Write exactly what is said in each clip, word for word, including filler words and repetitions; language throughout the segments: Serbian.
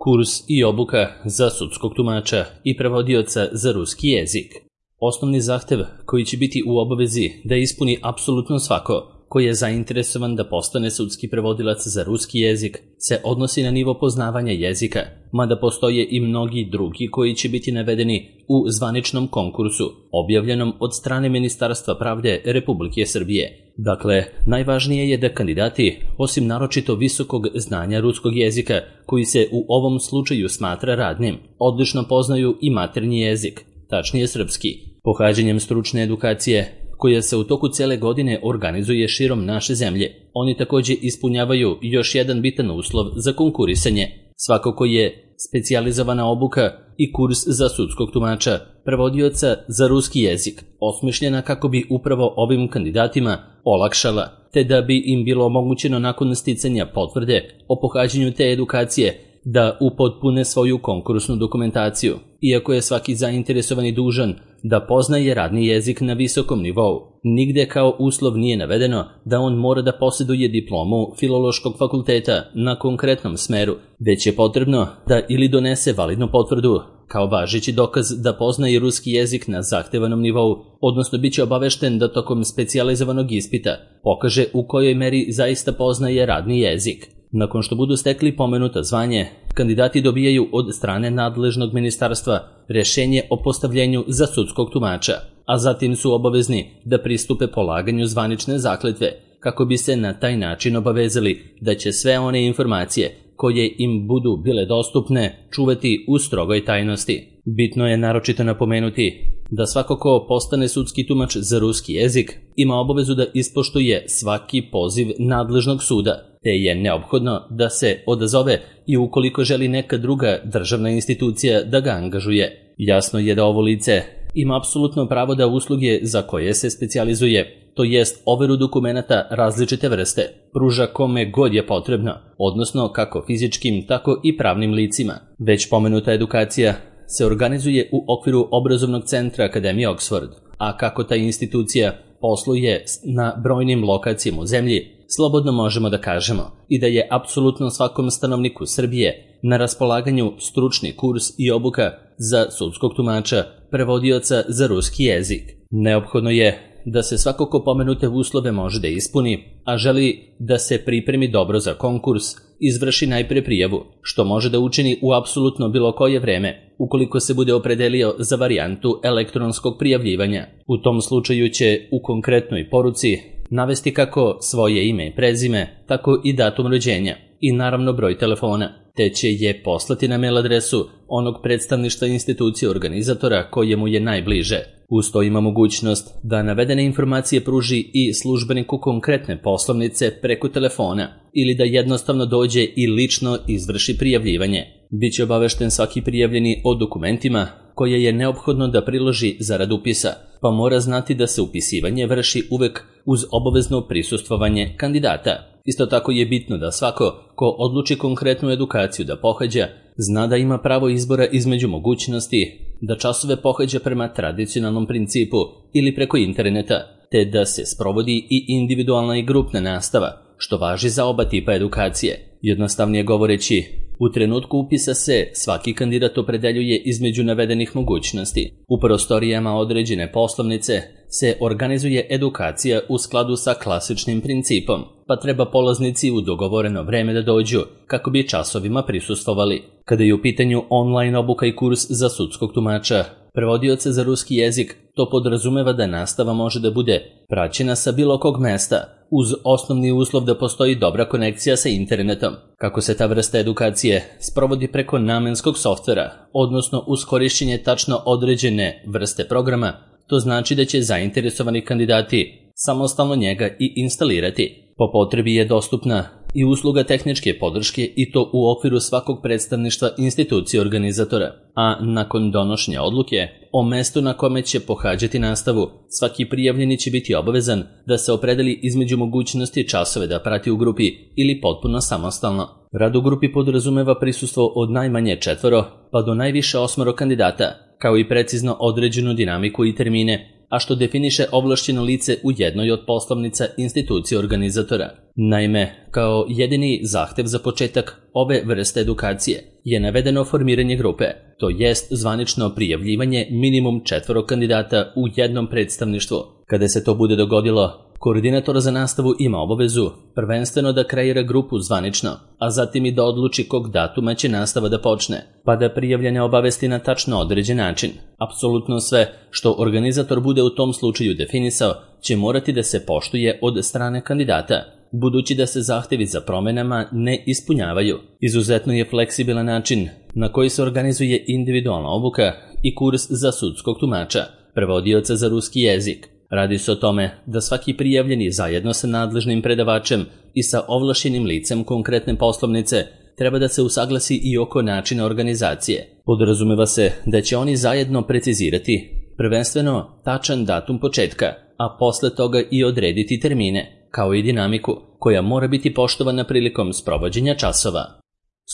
kurs i obuka za sudskog tumača i prevodioca za ruski jezik. Osnovni zahtev koji će biti u obavezi da ispuni apsolutno svako koji je zainteresovan da postane sudski prevodilac za ruski jezik se odnosi na nivo poznavanja jezika, mada postoje i mnogi drugi koji će biti navedeni u zvaničnom konkursu, objavljenom od strane Ministarstva pravde Republike Srbije. Dakle, najvažnije je da kandidati, osim naročito visokog znanja ruskog jezika, koji se u ovom slučaju smatra radnim, odlično poznaju i maternji jezik, tačnije srpski. Pohađanjem stručne edukacije, koja se u toku cele godine organizuje širom naše zemlje, oni takođe ispunjavaju još jedan bitan uslov za konkurisanje. Svakako je specijalizovana obuka i kurs za sudskog tumača, prevodioca za ruski jezik, osmišljena kako bi upravo ovim kandidatima olakšala, te da bi im bilo omogućeno nakon sticanja potvrde o pohađanju te edukacije da upotpune svoju konkursnu dokumentaciju, iako je svaki zainteresovani dužan da poznaje radni jezik na visokom nivou. Nigde kao uslov nije navedeno da on mora da posjeduje diplomu Filološkog fakulteta na konkretnom smeru, već je potrebno da ili donese validnu potvrdu kao važeći dokaz da poznaje ruski jezik na zahtevanom nivou, odnosno bit će obavešten da tokom specijalizovanog ispita pokaže u kojoj meri zaista poznaje radni jezik. Nakon što budu stekli pomenuto zvanje, kandidati dobijaju od strane nadležnog ministarstva rešenje o postavljenju za sudskog tumača, a zatim su obavezni da pristupe polaganju zvanične zakletve, kako bi se na taj način obavezali da će sve one informacije koje im budu bile dostupne čuvati u strogoj tajnosti. Bitno je naročito napomenuti da svako ko postane sudski tumač za ruski jezik ima obavezu da ispoštuje svaki poziv nadležnog suda, te je neophodno da se odazove i ukoliko želi neka druga državna institucija da ga angažuje. Jasno je da ovo lice ima apsolutno pravo da usluge za koje se specijalizuje, to jest overu dokumenata različite vrste, pruža kome god je potrebno, odnosno kako fizičkim, tako i pravnim licima. Već pomenuta edukacija se organizuje u okviru obrazovnog centra Akademije Oxford, a kako ta institucija posluje na brojnim lokacijama u zemlji, slobodno možemo da kažemo i da je apsolutno svakom stanovniku Srbije na raspolaganju stručni kurs i obuka za sudskog tumača, prevodioca za ruski jezik. Neophodno je da se svako ko pomenute uslove može da ispuni, a želi da se pripremi dobro za konkurs, izvrši najpre prijavu, što može da učini u apsolutno bilo koje vreme, ukoliko se bude opredelio za varijantu elektronskog prijavljivanja. U tom slučaju će u konkretnoj poruci navesti kako svoje ime i prezime, tako i datum rođenja i naravno broj telefona, te će je poslati na mail adresu onog predstavništva institucije organizatora kojemu je najbliže. Uz to ima mogućnost da navedene informacije pruži i službeniku konkretne poslovnice preko telefona ili da jednostavno dođe i lično izvrši prijavljivanje. Biće obavešten svaki prijavljeni o dokumentima koje je neophodno da priloži zarad upisa, pa mora znati da se upisivanje vrši uvek uz obavezno prisustvovanje kandidata. Isto tako je bitno da svako ko odluči konkretnu edukaciju da pohađa, zna da ima pravo izbora između mogućnosti da časove pohađa prema tradicionalnom principu ili preko interneta, te da se sprovodi i individualna i grupna nastava, što važi za oba tipa edukacije. Jednostavnije govoreći, u trenutku upisa se svaki kandidat opredeljuje između navedenih mogućnosti. U prostorijama određene poslovnice se organizuje edukacija u skladu sa klasičnim principom, pa treba polaznici u dogovoreno vreme da dođu kako bi časovima prisustvovali. Kada je u pitanju online obuka i kurs za sudskog tumača, prevodioca za ruski jezik, to podrazumeva da nastava može da bude praćena sa bilo kog mesta, uz osnovni uslov da postoji dobra konekcija sa internetom. Kako se ta vrsta edukacije sprovodi preko namenskog softvera, odnosno uz korišćenje tačno određene vrste programa, to znači da će zainteresovani kandidati samostalno njega i instalirati. Po potrebi je dostupna i usluga tehničke podrške i to u okviru svakog predstavništva institucije organizatora, a nakon donošenja odluke o mestu na kome će pohađati nastavu, svaki prijavljeni će biti obavezan da se opredeli između mogućnosti časove da prati u grupi ili potpuno samostalno. Rad u grupi podrazumeva prisustvo od najmanje četvoro pa do najviše osmoro kandidata, kao i precizno određenu dinamiku i termine, a što definiše ovlašćeno lice u jednoj od poslovnica institucije organizatora. Naime, kao jedini zahtev za početak ove vrste edukacije je navedeno formiranje grupe, to jest zvanično prijavljivanje minimum četvoro kandidata u jednom predstavništvu. Kada se to bude dogodilo, koordinator za nastavu ima obavezu prvenstveno da kreira grupu zvanično, a zatim i da odluči kog datuma će nastava da počne, pa da prijavljene obavesti na tačno određen način. Apsolutno sve što organizator bude u tom slučaju definisao će morati da se poštuje od strane kandidata, budući da se zahtevi za promenama ne ispunjavaju. Izuzetno je fleksibilan način na koji se organizuje individualna obuka i kurs za sudskog tumača, prevodioca za ruski jezik. Radi se o tome da svaki prijavljeni zajedno sa nadležnim predavačem i sa ovlašćenim licem konkretne poslovnice treba da se usaglasi i oko načina organizacije. Podrazumeva se da će oni zajedno precizirati prvenstveno tačan datum početka, a posle toga i odrediti termine, kao i dinamiku, koja mora biti poštovana prilikom sprovođenja časova.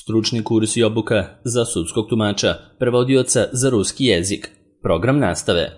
Stručni kurs i obuka za sudskog tumača, prevodioca za ruski jezik. Program nastave.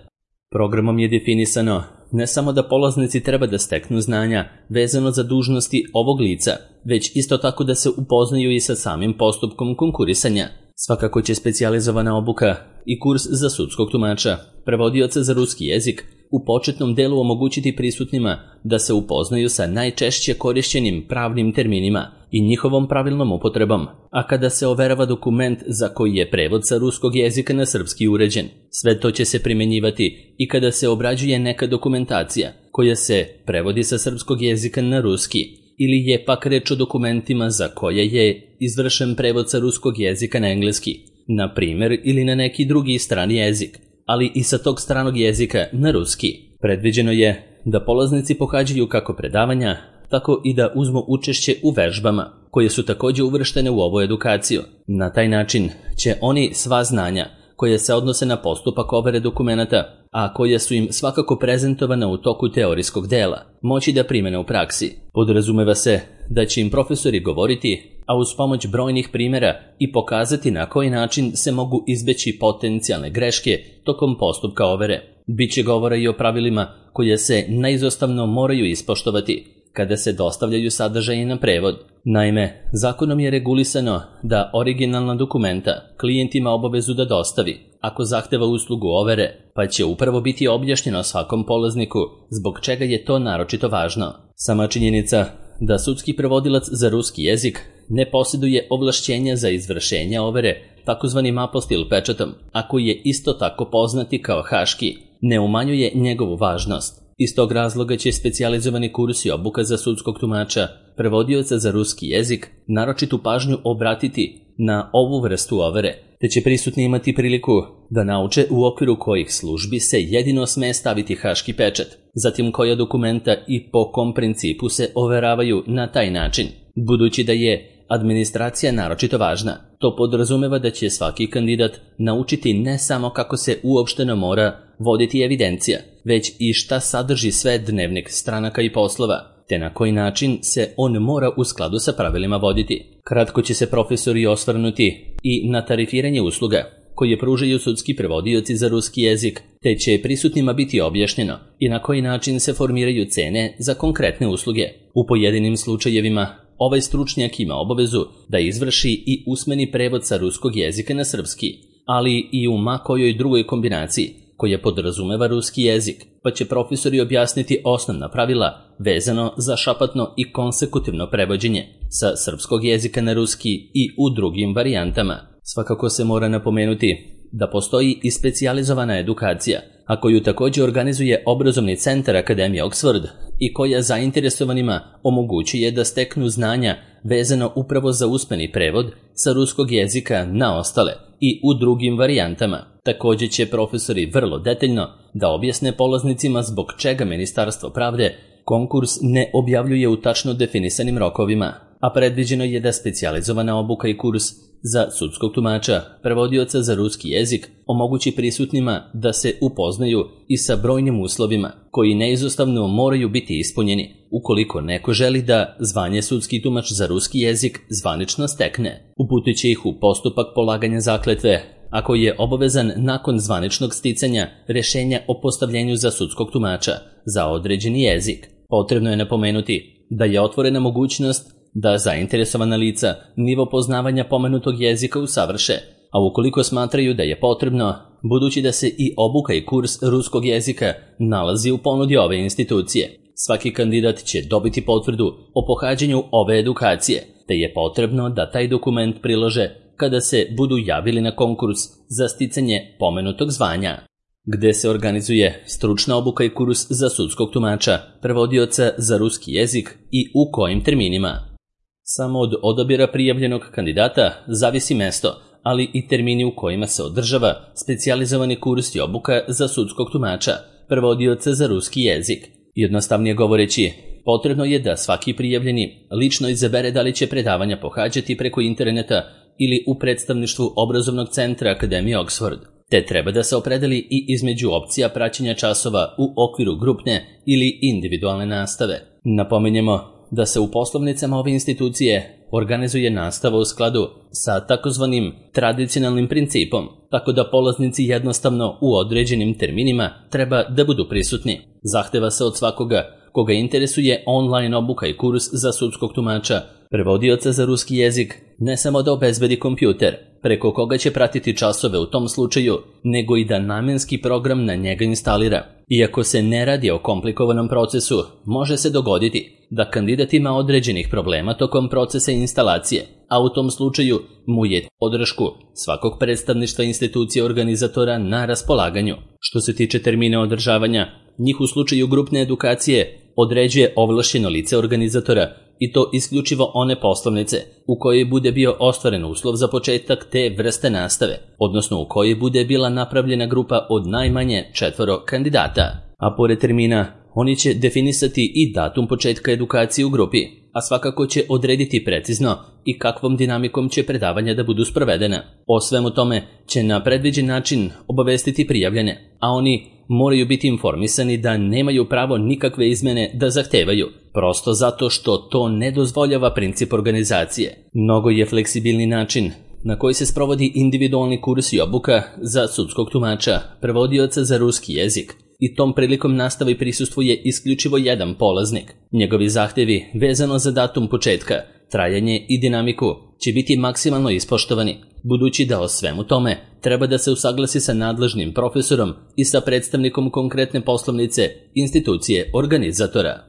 Programom je definisano ne samo da polaznici treba da steknu znanja vezano za dužnosti ovog lica, već isto tako da se upoznaju i sa samim postupkom konkurisanja. Svakako će specijalizovana obuka i kurs za sudskog tumača, prevodioca za ruski jezik, u početnom delu omogućiti prisutnima da se upoznaju sa najčešće korišćenim pravnim terminima i njihovom pravilnom upotrebom, a kada se overava dokument za koji je prevod sa ruskog jezika na srpski uređen. Sve to će se primenjivati i kada se obrađuje neka dokumentacija koja se prevodi sa srpskog jezika na ruski, ili je pak reč o dokumentima za koje je izvršen prevod sa ruskog jezika na engleski, na primjer ili na neki drugi strani jezik, ali i sa tog stranog jezika na ruski. Predviđeno je da polaznici pohađaju kako predavanja, tako i da uzmu učešće u vežbama, koje su također uvrštene u ovu edukaciju. Na taj način će oni sva znanja koje se odnose na postupak overe dokumenata, a koje su im svakako prezentovana u toku teorijskog dela, moći da primene u praksi. Podrazumeva se da će im profesori govoriti, a uz pomoć brojnih primjera i pokazati na koji način se mogu izbeći potencijalne greške tokom postupka overe. Biće govora i o pravilima koje se neizostavno moraju ispoštovati kada se dostavljaju sadržaji na prevod. Naime, zakonom je regulisano da originalna dokumenta klijent ima obavezu da dostavi ako zahteva uslugu overe, pa će upravo biti objašnjeno svakom polazniku zbog čega je to naročito važno. Sama činjenica da sudski prevodilac za ruski jezik ne posjeduje ovlašćenja za izvršenje overe takozvanim apostil pečatom, a koji je isto tako poznati kao haški, ne umanjuje njegovu važnost. Iz tog razloga će specijalizovani kurs i obuka za sudskog tumača, prevodioca za ruski jezik, naročitu pažnju obratiti na ovu vrstu overe, te će prisutni imati priliku da nauče u okviru kojih službi se jedino sme staviti haški pečat, zatim koja dokumenta i po kom principu se overavaju na taj način. Budući da je administracija naročito važna, to podrazumeva da će svaki kandidat naučiti ne samo kako se uopšteno mora voditi evidencija, već i šta sadrži sve dnevnik stranaka i poslova, te na koji način se on mora u skladu sa pravilima voditi. Kratko će se profesori osvrnuti i na tarifiranje usluga koje pružaju sudski prevodioci za ruski jezik, te će prisutnima biti objašnjeno i na koji način se formiraju cene za konkretne usluge. U pojedinim slučajevima ovaj stručnjak ima obavezu da izvrši i usmeni prevod sa ruskog jezika na srpski, ali i u ma kojoj drugoj kombinaciji koja podrazumeva ruski jezik, pa će profesori objasniti osnovna pravila vezano za šapatno i konsekutivno prevođenje sa srpskog jezika na ruski i u drugim varijantama. Svakako se mora napomenuti da postoji i specijalizovana edukacija, a koju također organizuje obrazovni centar Akademije Oxford i koja zainteresovanima omogućuje da steknu znanja vezano upravo za usmeni prevod sa ruskog jezika na ostale i u drugim varijantama. Također će profesori vrlo detaljno da objasne polaznicima zbog čega Ministarstvo pravde konkurs ne objavljuje u tačno definisanim rokovima, a predviđeno je da specijalizovana obuka i kurs za sudskog tumača, prevodioca za ruski jezik, omogući prisutnima da se upoznaju i sa brojnim uslovima koji neizostavno moraju biti ispunjeni ukoliko neko želi da zvanje sudski tumač za ruski jezik zvanično stekne. Uputit će ih u postupak polaganja zakletve, ako je obavezan nakon zvaničnog sticanja rješenja o postavljenju za sudskog tumača za određeni jezik. Potrebno je napomenuti da je otvorena mogućnost da zainteresovana lica nivo poznavanja pomenutog jezika usavrše, a ukoliko smatraju da je potrebno, budući da se i obuka i kurs ruskog jezika nalazi u ponudi ove institucije, svaki kandidat će dobiti potvrdu o pohađanju ove edukacije, te je potrebno da taj dokument prilože kada se budu javili na konkurs za sticanje pomenutog zvanja. Gde se organizuje stručna obuka i kurs za sudskog tumača, prevodioca za ruski jezik i u kojim terminima? Samo od odabira prijavljenog kandidata zavisi mesto, ali i termini u kojima se održava specijalizovani kurs i obuka za sudskog tumača, prevodioca za ruski jezik. Jednostavnije govoreći, potrebno je da svaki prijavljeni lično izabere da li će predavanja pohađati preko interneta ili u predstavništvu obrazovnog centra Akademije Oxford, te treba da se opredeli i između opcija praćenja časova u okviru grupne ili individualne nastave. Napominjemo da se u poslovnicama ove institucije organizuje nastava u skladu sa takozvanim tradicionalnim principom, tako da polaznici jednostavno u određenim terminima treba da budu prisutni. Zahteva se od svakoga koga interesuje online obuka i kurs za sudskog tumača, prevodioca za ruski jezik, ne samo da obezbedi kompjuter, preko koga će pratiti časove u tom slučaju, nego i da namenski program na njega instalira. Iako se ne radi o komplikovanom procesu, može se dogoditi da kandidat ima određenih problema tokom procesa instalacije, a u tom slučaju mu je podršku svakog predstavništva institucije organizatora na raspolaganju. Što se tiče termina održavanja, njih u slučaju grupne edukacije određuje ovlašćeno lice organizatora, i to isključivo one poslovnice u kojoj bude bio ostvaren uslov za početak te vrste nastave, odnosno u kojoj bude bila napravljena grupa od najmanje četvoro kandidata. A pored termina, oni će definisati i datum početka edukacije u grupi, a svakako će odrediti precizno i kakvom dinamikom će predavanja da budu sprovedena. O svemu tome će na predviđen način obavestiti prijavljene, a oni moraju biti informisani da nemaju pravo nikakve izmene da zahtevaju, prosto zato što to ne dozvoljava princip organizacije. Mnogo je fleksibilni način na koji se sprovodi individualni kurs i obuka za sudskog tumača, prevodioca za ruski jezik, i tom prilikom nastavi prisustvuje isključivo jedan polaznik. Njegovi zahtevi vezano za datum početka, trajanje i dinamiku će biti maksimalno ispoštovani, budući da o svemu tome treba da se usaglasi sa nadležnim profesorom i sa predstavnikom konkretne poslovnice institucije organizatora.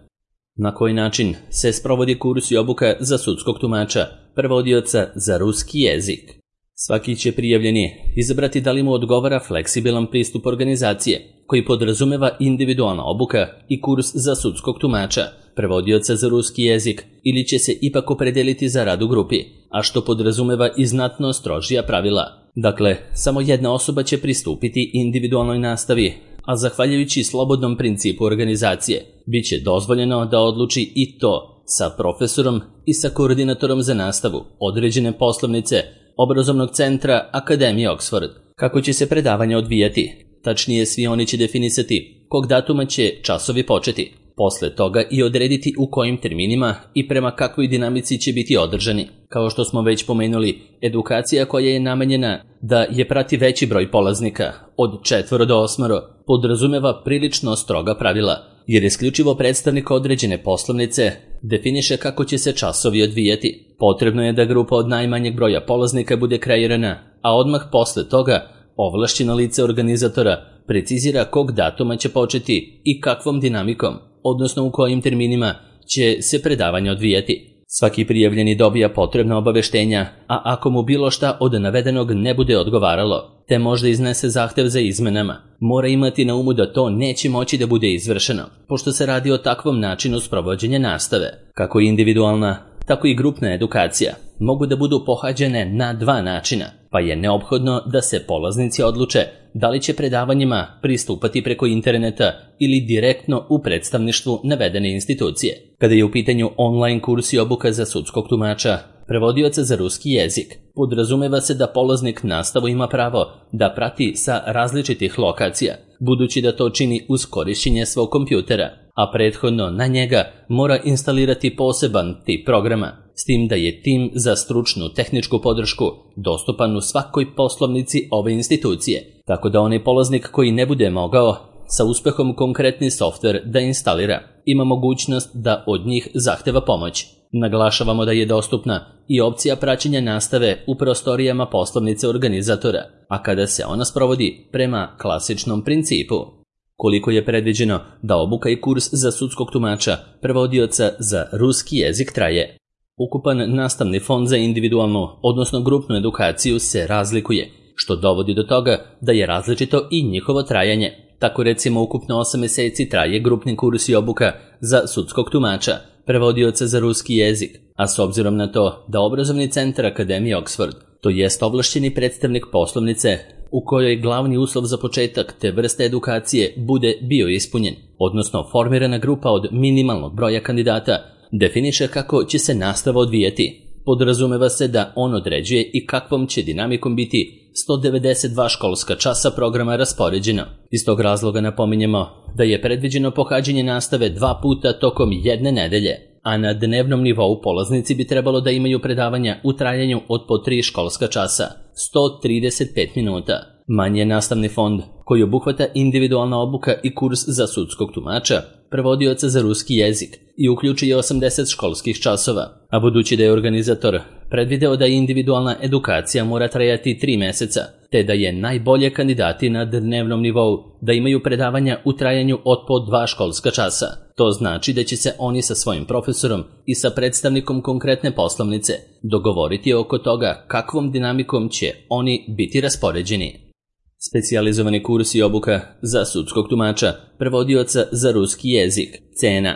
Na koji način se sprovodi kurs i obuka za sudskog tumača, prevodioca za ruski jezik? Svaki će prijavljeni izabrati da li mu odgovara fleksibilan pristup organizacije, koji podrazumeva individualna obuka i kurs za sudskog tumača, prevodioca za ruski jezik, ili će se ipak opredeliti za rad u grupi, a što podrazumeva i znatno strožija pravila. Dakle, samo jedna osoba će pristupiti individualnoj nastavi, a zahvaljujući slobodnom principu organizacije, bit će dozvoljeno da odluči i to sa profesorom i sa koordinatorom za nastavu određene poslovnice obrazovnog centra Akademije Oxford. Kako će se predavanja odvijati? Tačnije, svi oni će definisati kog datuma će časovi početi, posle toga i odrediti u kojim terminima i prema kakvoj dinamici će biti održani. Kao što smo već pomenuli, edukacija koja je namenjena da je prati veći broj polaznika, od četvoro do osmoro, podrazumeva prilično stroga pravila, jer isključivo predstavnik određene poslovnice definiše kako će se časovi odvijati. Potrebno je da grupa od najmanjeg broja polaznika bude kreirana, a odmah posle toga ovlašćeno lice organizatora precizira kog datuma će početi i kakvom dinamikom, odnosno u kojim terminima će se predavanja odvijati. Svaki prijavljeni dobija potrebna obaveštenja, a ako mu bilo šta od navedenog ne bude odgovaralo, te možda iznese zahtev za izmenama, mora imati na umu da to neće moći da bude izvršeno, pošto se radi o takvom načinu sprovođenja nastave. Kako individualna, tako i grupna edukacija mogu da budu pohađene na dva načina, pa je neophodno da se polaznici odluče da li će predavanjima pristupati preko interneta ili direktno u predstavništvu navedene institucije. Kada je u pitanju online kurs i obuka za sudskog tumača, prevodioca za ruski jezik, podrazumeva se da polaznik nastavu ima pravo da prati sa različitih lokacija, budući da to čini uz korišćenje svog kompjutera, a prethodno na njega mora instalirati poseban tip programa, s tim da je tim za stručnu tehničku podršku dostupan u svakoj poslovnici ove institucije, tako da onaj polaznik koji ne bude mogao sa uspehom konkretni softver da instalira, ima mogućnost da od njih zahteva pomoć. Naglašavamo da je dostupna i opcija praćenja nastave u prostorijama poslovnice organizatora, a kada se ona sprovodi prema klasičnom principu. Koliko je predviđeno da obuka i kurs za sudskog tumača prevodioca za ruski jezik traje? Ukupan nastavni fond za individualnu, odnosno grupnu edukaciju se razlikuje, što dovodi do toga da je različito i njihovo trajanje. Tako recimo ukupno osam meseci traje grupni kurs i obuka za sudskog tumača, prevodioca za ruski jezik, a s obzirom na to da obrazovni centar Akademije Oxford, to jest ovlašćeni predstavnik poslovnice u kojoj glavni uslov za početak te vrste edukacije bude bio ispunjen, odnosno formirana grupa od minimalnog broja kandidata, definiše kako će se nastava odvijati. Podrazumeva se da on određuje i kakvom će dinamikom biti sto devedeset dva školska časa programa raspoređeno. Iz tog razloga napominjemo da je predviđeno pohađanje nastave dva puta tokom jedne nedelje, a na dnevnom nivou polaznici bi trebalo da imaju predavanja u trajanju od po tri školska časa, sto trideset pet minuta. Manji je nastavni fond koji obuhvata individualna obuka i kurs za sudskog tumača, prevodioca za ruski jezik i uključuje osamdeset školskih časova, a budući da je organizator predvideo da individualna edukacija mora trajati tri meseca, te da je najbolje kandidati na dnevnom nivou da imaju predavanja u trajanju od po dva školska časa. To znači da će se oni sa svojim profesorom i sa predstavnikom konkretne poslovnice dogovoriti oko toga kakvom dinamikom će oni biti raspoređeni. Specijalizovani kurs i obuka za sudskog tumača, prevodioca za ruski jezik, cena.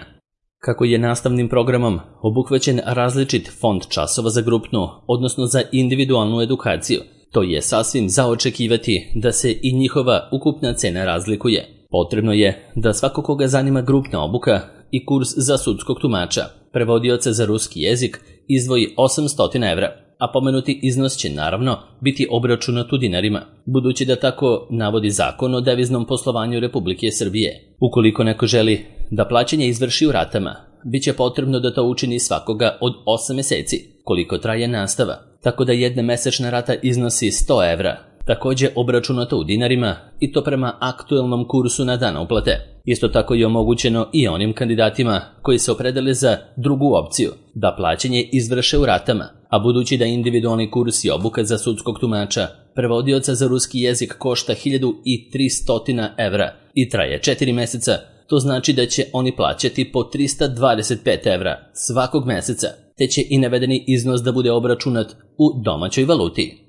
Kako je nastavnim programom obuhvaćen različit fond časova za grupnu, odnosno za individualnu edukaciju, to je sasvim za očekivati da se i njihova ukupna cena razlikuje. Potrebno je da svako koga zanima grupna obuka i kurs za sudskog tumača, prevodioca za ruski jezik, izdvoji osamsto evra, a pomenuti iznos će naravno biti obračunat u dinarima, budući da tako navodi Zakon o deviznom poslovanju Republike Srbije. Ukoliko neko želi da plaćanje izvrši u ratama, bit će potrebno da to učini svakoga od osam meseci, koliko traje nastava, tako da jedna mesečna rata iznosi sto evra, takođe obračunato u dinarima i to prema aktuelnom kursu na dan uplate. Isto tako je omogućeno i onim kandidatima koji se opredele za drugu opciju, da plaćanje izvrše u ratama, a budući da individualni kurs i obuka za sudskog tumača, prevodioca za ruski jezik košta hiljadu tristo evra i traje četiri meseca, to znači da će oni plaćati po trista dvadeset pet evra svakog meseca, te će i navedeni iznos da bude obračunat u domaćoj valuti.